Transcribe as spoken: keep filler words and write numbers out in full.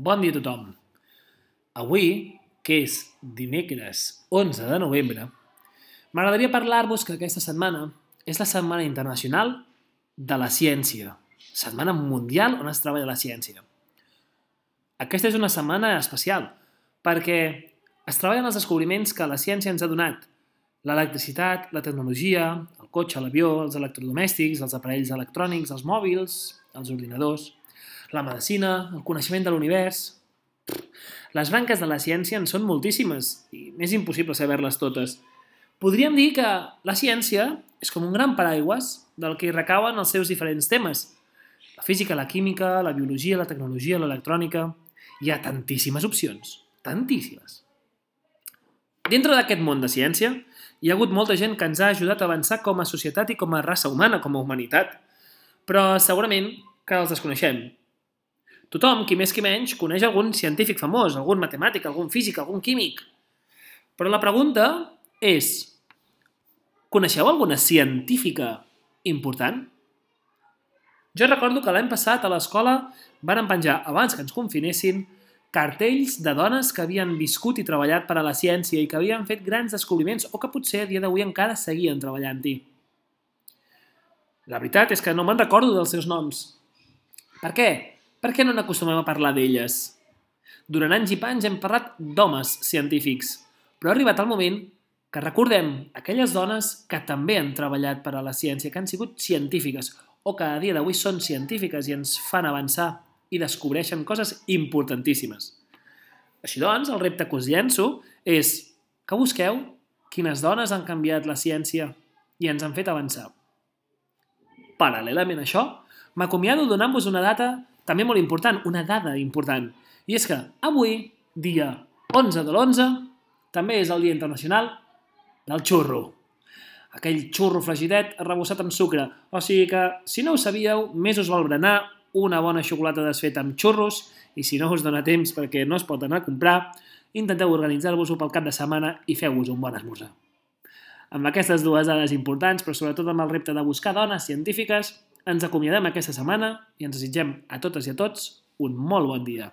Bon dia a tothom. Avui, que és dimecres onze de novembre, m'agradaria parlar-vos que aquesta setmana és la Setmana Internacional de la Ciència, setmana mundial on es treballa la ciència. Aquesta és una setmana especial perquè es treballen els descobriments que la ciència ens ha donat: l'electricitat, la tecnologia, el cotxe, l'avió, els electrodomèstics, els aparells electrònics, els mòbils, els ordinadors, la medicina, el coneixement de l'univers. Les branques de la ciència en són moltíssimes i m'és impossible saber-les totes. Podríem dir que la ciència és com un gran paraigües del que hi recauen els seus diferents temes. La física, la química, la biologia, la tecnologia, l'electrònica... Hi ha tantíssimes opcions, tantíssimes. Dintre d'aquest món de ciència, hi ha hagut molta gent que ens ha ajudat a avançar com a societat i com a raça humana, com a humanitat. Però segurament que els desconeixem. Tothom, qui més qui menys, coneix algun científic famós, algun matemàtic, algun físic, algun químic. Però la pregunta és: coneixeu alguna científica important? Jo recordo que l'any passat a l'escola varen penjar, abans que ens confinessin, cartells de dones que havien viscut i treballat per a la ciència i que havien fet grans descobriments o que potser a dia d'avui encara seguien treballant-hi. La veritat és que no me'n recordo dels seus noms. Per què? Per què no n'acostumem a parlar d'elles? Durant anys i panys hem parlat d'homes científics, però ha arribat el moment que recordem aquelles dones que també han treballat per a la ciència, que han sigut científiques o que a dia d'avui són científiques i ens fan avançar i descobreixen coses importantíssimes. Així doncs, el repte que us llenço és que busqueu quines dones han canviat la ciència i ens han fet avançar. Paral·lelament a això, m'acomiado donant-vos una data també molt important, una dada important. I és que avui, dia onze de l'onze, també és el Dia Internacional del Xurro. Aquell xurro flagidet arrebossat amb sucre. O sigui que, si no ho sabíeu, més us val berenar una bona xocolata desfeta amb xurros i si no us dona temps perquè no es pot anar a comprar, intenteu organitzar-vos-ho pel cap de setmana i feu-vos un bon esmorzar. Amb aquestes dues dades importants, però sobretot amb el repte de buscar dones científiques, ens acomiadem aquesta setmana i ens desitgem a totes i a tots un molt bon dia.